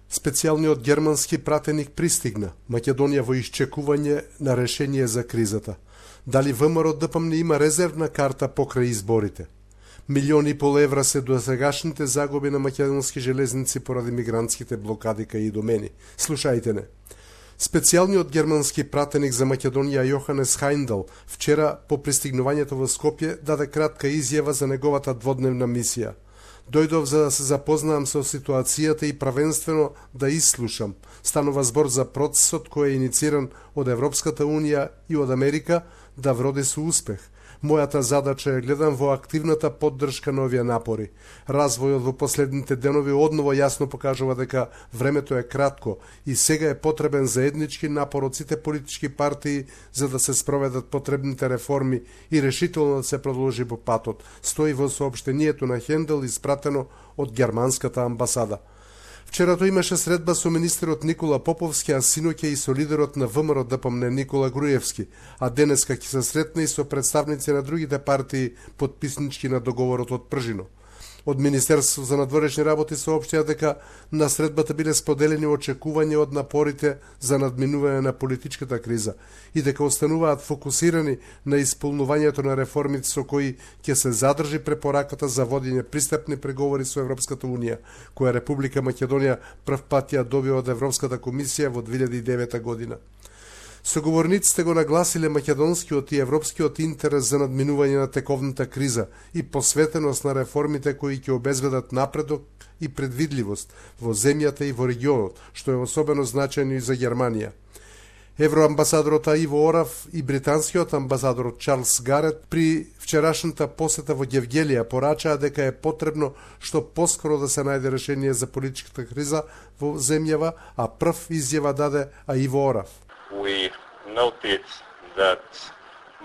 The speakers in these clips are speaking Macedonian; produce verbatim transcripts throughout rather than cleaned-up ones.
Специјалниот германски пратеник пристигна. Македонија во исчекување на решение за кризата. Дали ВМРО-ДПМН има резервна карта покрај изборите? Милиони и пол евра се досегашните загуби на македонски железници поради мигрантските блокади кај и домени. Слушајте не. Специјалниот германски пратеник за Македонија Јоханес Хајндел вчера по пристигнувањето во Скопје даде кратка изјава за неговата дводневна мисија. Дојдов за да се запознаам со ситуацијата и правенствено да ислушам. Станува збор за процесот кој е инициран од Европската Унија и од Америка да вроди со успех. Мојата задача е гледам во активната поддршка на овие напори. Развојот во последните денови одново јасно покажува дека времето е кратко и сега е потребен заеднички напор од сите политички партии за да се спроведат потребните реформи и решително да се продолжи по патот, стои во соопштението на Хендел испратено од германската амбасада. Вчерато имаше средба со министерот Никола Поповски, а синоќа и со лидерот на ВМРО-ДПМН Никола Груевски, а денеска ќе се сретне и со представници на другите партии потписнички на договорот од Пржино. Од Министерството за надворешни работи соопштија дека на средбата биле споделени очекувања од напорите за надминување на политичката криза и дека остануваат фокусирани на исполнувањето на реформите со кои ќе се задржи препораката за водење пристапни преговори со Европската Унија, која Република Македонија прв пат ја добива од Европската комисија во две илјади и девета година. Соговорниците го нагласиле македонскиот и европскиот интерес за надминување на тековната криза и посветеност на реформите кои ќе обезбедат напредок и предвидливост во земјата и во регионот, што е особено значајно и за Германија. Евроамбасадорот Иво Орав и британскиот амбасадор Чарлс Гарет при вчерашната посета во Гевгелија порачаа дека е потребно што поскоро да се најде решение за политичката криза во земјава, а прв изјава даде Иво Орав. We noted that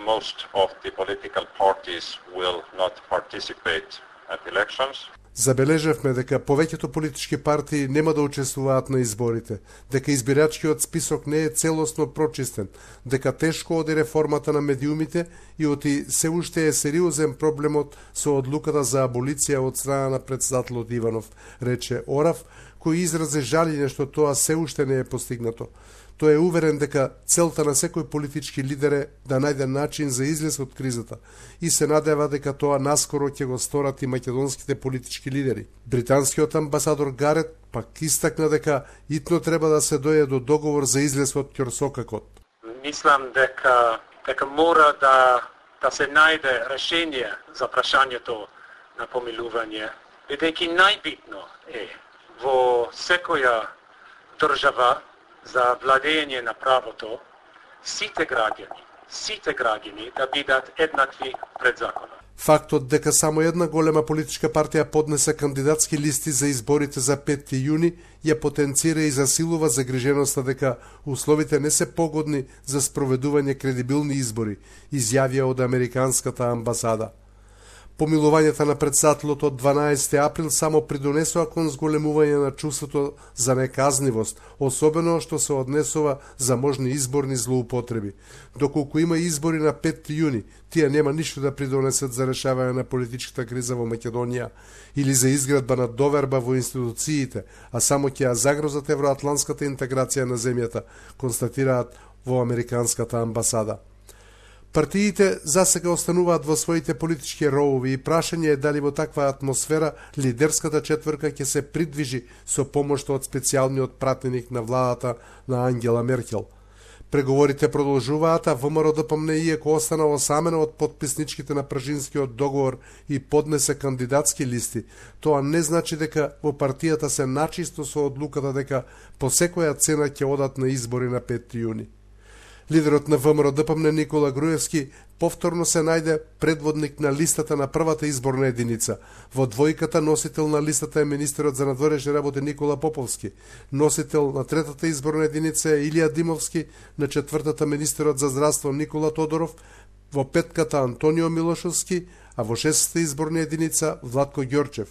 most of the political parties will not participate at elections. Забележавме дека повеќето политички партии нема да учествуваат на изборите, дека избирачкиот список не е целосно прочистен, дека тешко оди реформата на медиумите и оти се уште е сериозен проблемот со одлуката за аболиција од страна на председателот Иванов, рече Орав, кој изрази жалење што тоа се уште не е постигнато. Тој е уверен дека целта на секој политички лидер е да најде начин за излез од кризата и се надева дека тоа наскоро ќе го сторат и македонските политички лидери. Британскиот амбасадор Гарет пак истакна дека итно треба да се дојде до договор за излез од ќорсокакот. Мислам дека дека мора да да се најде решение за прашањето на помилување, бидејќи најбитно е во секоја држава за владење на правото, сите граѓани, сите граѓани да бидат еднакви пред законот. Фактот дека само една голема политичка партија поднесе кандидатски листи за изборите за петти јуни ја потенцира и засилува загриженоста дека условите не се погодни за спроведување кредибилни избори, изјавија од американската амбасада. Помилувањето на председателот од дванаесети април само придонесува кон зголемување на чувството за неказнивост, особено што се однесува за можни изборни злоупотреби. Доколку има избори на петти јуни, тие нема ништо да придонесат за решавање на политичката криза во Македонија или за изградба на доверба во институциите, а само ќе ја загрозат евроатлантската интеграција на земјата, констатираат во американската амбасада. Партиите засега остануваат во своите политички ровови и прашање е дали во таква атмосфера лидерската четврка ќе се придвижи со помошта од специјалниот пратеник на владата на Ангела Меркел. Преговорите продолжуваат, а ВМРО-ДПМН иако остана осамена од потписничките на Пржинскиот договор и поднесе кандидатски листи, тоа не значи дека во партијата се начисто со одлуката дека по секоја цена ќе одат на избори на петти јуни. Лидерот на ВМРО-ДПМН Никола Груевски повторно се најде предводник на листата на првата изборна единица. Во двојката носител на листата е министерот за надворешни работи Никола Поповски, носител на третата изборна единица е Илија Димовски, на четвртата министерот за здравство Никола Тодоров, во петката Антонио Милошовски, а во шестата изборна единица Владко Ѓорчев.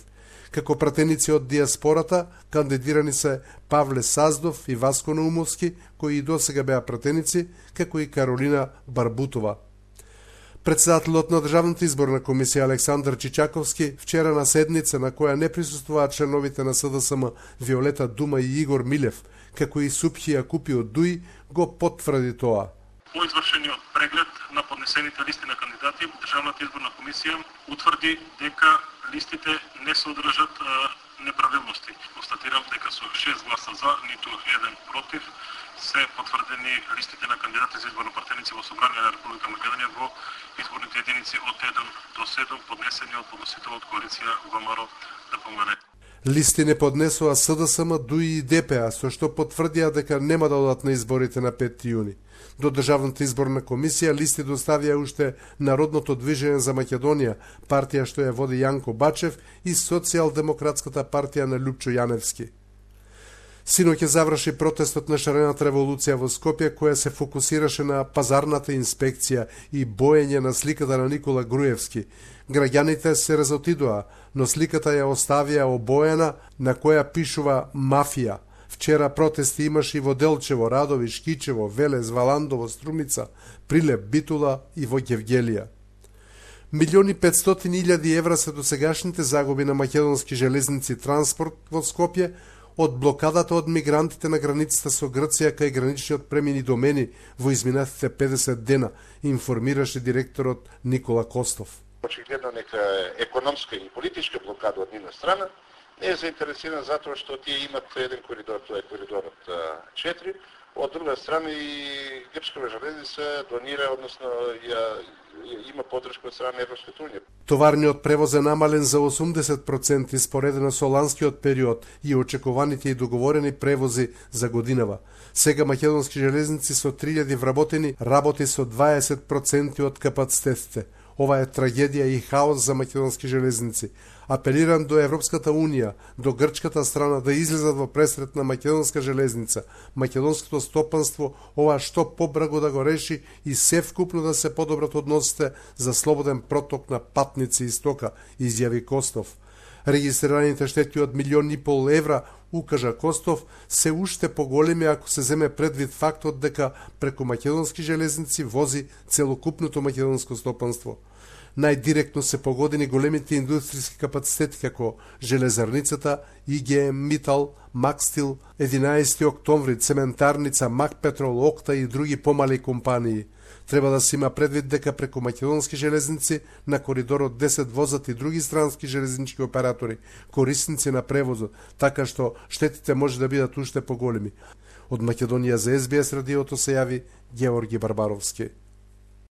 Како пратеници од диаспората кандидирани се Павле Саздов и Васко Наумовски, кои и досега беа пратеници, како и Каролина Барбутова. Председателот на Државната изборна комисија Александар Чичаковски вчера на седница на која не присуствуваат членовите на СДСМ Виолета Дума и Игор Милев, како и Супхија Купи од ДУИ, го потврди тоа. По извршениот преглед на поднесените листи на кандидати, Државната изборна комисија утврди дека листите не содржат неправилности. Констатирам дека со шест гласа за, ниту еден против, се потврдени листите на кандидати за изборно-партеници во Собрание на Република Македонија во изборните единици од еден до седум, поднесени од подносителот коалиција ВМРО д П М Н. Листи не поднесоа СДСМ, ДУИ и Д П А, со што потврдија дека нема да одат на изборите на петти јуни. До Државната изборна комисија листи доставија уште Народното движење за Македонија, партија што ја води Јанко Бачев, и Социјалдемократската партија на Љупчо Јаневски. Синоќ заврши протестот на шарената револуција во Скопје, која се фокусираше на пазарната инспекција и боење на сликата на Никола Груевски. Граѓаните се разотидоа, но сликата ја оставија обоена на која пишува мафија. Вчера протести имаше и во Делчево, Радови, Шкичево, Велес, Валандово, Струмица, Прилеп, Битула и во Гевгелија. Милиони петстотини илјади евра се досегашните загуби на македонски железници транспорт во Скопје од блокадата од мигрантите на границата со Грција кај граничниот премини домени во изминатите педесет дена, информираше директорот Никола Костов. Очигледно нека економска и политичка блокада од нивна страна не е заинтересирана затоа што тие имат еден коридор, тоа е коридорот четири, од друга страна и Грчкава железница донира, односно ја има поддршка од страна на Европската унија. Товарниот превоз е намален за осумдесет проценти споредено со ланскиот период и очекуваните и договорени превози за годинава. Сега македонски железници со три илјади вработени работи со дваесет проценти од капацитетите. Ова е трагедија и хаос за македонски железници. Апелирам до Европската унија, до грчката страна да излезат во пресрет на македонска железница, македонското стопанство, ова што побрзо да го реши и севкупно да се подобрат односите за слободен проток на патници и стока, изјави Костов. Регистрираните штети од милион и пол евра, укажа Костов, се уште поголеми ако се земе предвид фактот дека преку македонски железници вози целокупното македонско стопанство. Најдиректно се погодени големите индустријски капацитети како железарницата, И Г М Митал, Макстил, единаесети октомври, цементарница, Макпетрол, Окта и други помали компании. Треба да се има предвид дека преку македонски железници на коридорот десет возат и други странски железнички оператори, корисници на превозот, така што штетите може да бидат уште поголеми. Од Македонија за С Б С радиото се јави Георги Барбаровски.